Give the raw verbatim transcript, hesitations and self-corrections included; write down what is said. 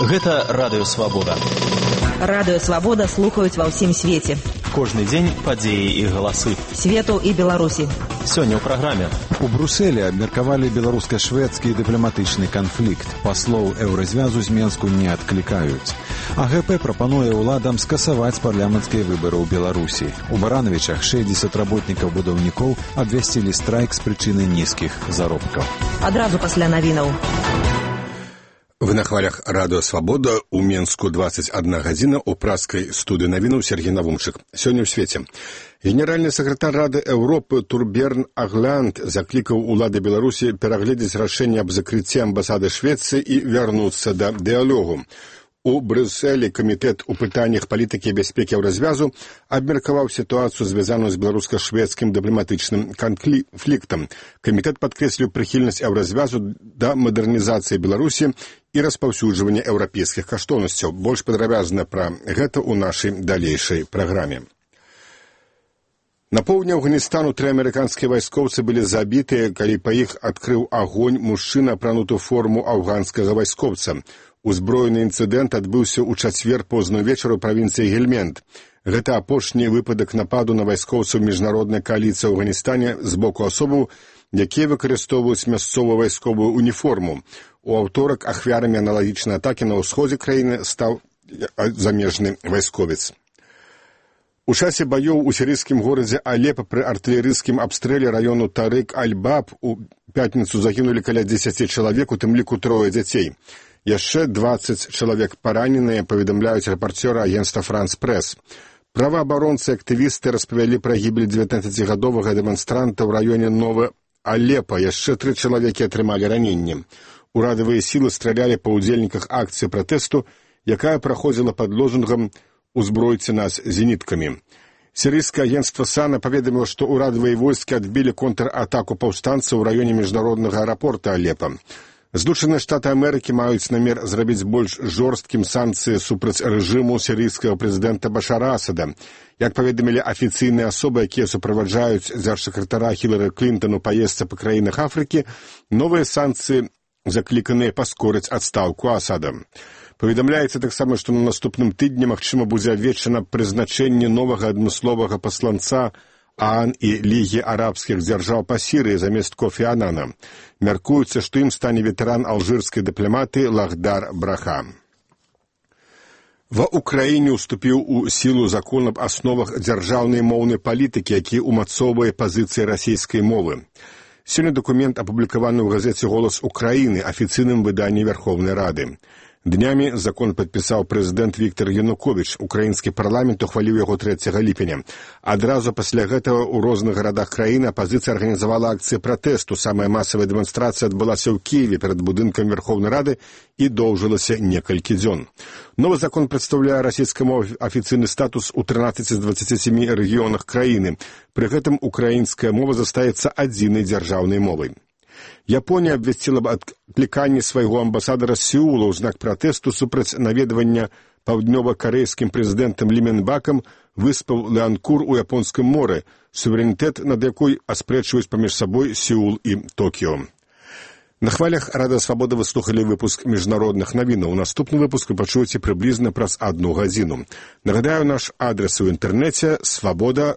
Гэта Радыё Свабода. Радыё Свабода слухаюць ва ўсім свеце. Кожны дзень падзеі і галасы. Свету і Беларусі. Сёння ў праграме. У Брусэлі абмеркавалі беларуска-шведскі дыпламатычны канфлікт. Паслоў еўразвязу з Менску не адклікаюць. А гэ пэ прапануе ўладам скасаваць парламенцкія выбары ў Беларусі. У Барановічах шэсцьдзесят работнікаў будаўнікоў абвясцілі страйк з прычыны нізкіх заробкаў. Адразу пасля навінаў. Вы на хвалях Радыё Свабода, у Менску двадцать одна гадзіна, у праскай студыі навінаў Сергей Навумчык. Сёння ў свеце. Генеральны сакратар Рады Еўропы Турберн Агланд заклікаў улады Беларусі перагледзець рашэнне аб закрыцці амбасады Швецыі і вярнуцца да дыялогу. У Брюсселі камітэт у пытаннях палітыкі і бяспекі еўразвязу абмеркаваў сітуацыю, звязаную з беларуска-шведскім дыпламатычным канфліктам. Камітэт падкрэсліў прыхільнасць еўразвязу да мадэрнізацыі Беларусі і распаўсюджвання еўрапейскіх каштоўнасцяў. Больш падрабязна пра гэта ў нашай далейшай праграме. На поўдні Афганістану тры амерыканскія вайскоўцы былі забітыя, калі па іх адкрыў агонь мужчына, апрануты ў форму афганскага вайскоўца. Узброены інцыдэнт адбыўся ў чацвер позна ўвечары ў правінцыі Гельмент. Гэта апошні выпадак нападу на вайскоўцаў міжнароднай кааліцыі ў Афганістане з боку асобаў, якія выкарыстоўваюць мясцовую вайсковую уніформу. У аўторак ахвярамі аналагічнай атакі на ўсходзе краіны стаў замежны вайсковец. У часе баёў у сірыйскім горадзе Алепа пры артылерыйскім абстрэле раёну Тарык-Аль-Баб у пятніцу загінулі каля дзесяці чалавек, у тым ліку трое дзяцей. Яшчэ дваццаць чалавек параненыя, паведамляюць рэпарцёры агенцтва «Франс-Прэс». Праваабаронцы і актывісты распавялі пра гібель дзевятнаццацігадовага дэманстранта ў раёне Новы Алепа. Яшчэ тры чалавекі атрымалі раненні. Урадавыя сілы стралялі па ўдзельніках акцыі пратэсту, якая праходзіла пад лозунгам «Узбройце нас зеніткамі». Сірыйскае агенцтва САНА паведаміла, што ўрадавыя войскі адбілі контратаку паўстанцаў у раёне міжнароднага аэрапорта Алепа. Злучаныя Штаты Амерыкі маюць намер зрабіць больш жорсткім санкцыі супраць рэжыму сірыйскага прэзідэнта Башара Асада. Як паведамілі афіцыйныя асобы, якія суправаджаюць дзяржсакратара Хілары Клінтон у паездцы па краінах Афрыкі, новыя санкцыі закліканыя паскорыць адстаўку Асада. Паведамляецца таксама, што на наступным тыдні магчыма будзе абвешчана прызначэнне новага адмысловага пасланца ААН і Лігі арабскіх дзяржаў па Сірыі замест Кофі Анана. Мяркуецца, што ім стане ветэран алжырскай дыпламатыі Лахдар Браха. Ва ўкраіне ўступіў у сілу закон аб асновах дзяржаўнай моўнай палітыкі, які ўмацоўвае пазіцыі расійскай мовы. Сёння дакумент апублікаваны ў газеце «Голас Украіны», афіцыйным выданні Верховнай Рады. Днямі закон падпісаў прэзідэнт Віктор Януковіч. Украінскі парламент ухваліў яго трэцяга ліпеня. Адразу пасля гэтага ў розных гарадах краіны апазіцыя арганізавала акцыі пратэсту. Самая масавая дэманстрацыя адбылася ў Кіеве перад будынкам Верховнай Рады і доўжылася некалькі дзён. Новы закон прадстаўляе расійскай мове афіцыйны статус у трынаццаці з дваццаці сямі рэгіёнах краіны. Пры гэтым украінская мова застаецца адзінай дзяржаўнай мовай. Японія абвясціла б адкліканне свайго амбасадара з Сеула ў знак пратэсту супраць наведвання паўднёва-карэйскім прэзідэнтам Лі Мэнбакам выспаў Леанкур у Японскім моры, суверэнітэт над якой аспрэчваюць паміж сабой Сеул і Токіо. На хвалях Радыё Свабода вы слухалі выпуск міжнародных навінаў. Наступны выпуск вы пачуеце прыблізна праз адну гадзіну. Нагадаю, наш адрес у інтэрнэце свабода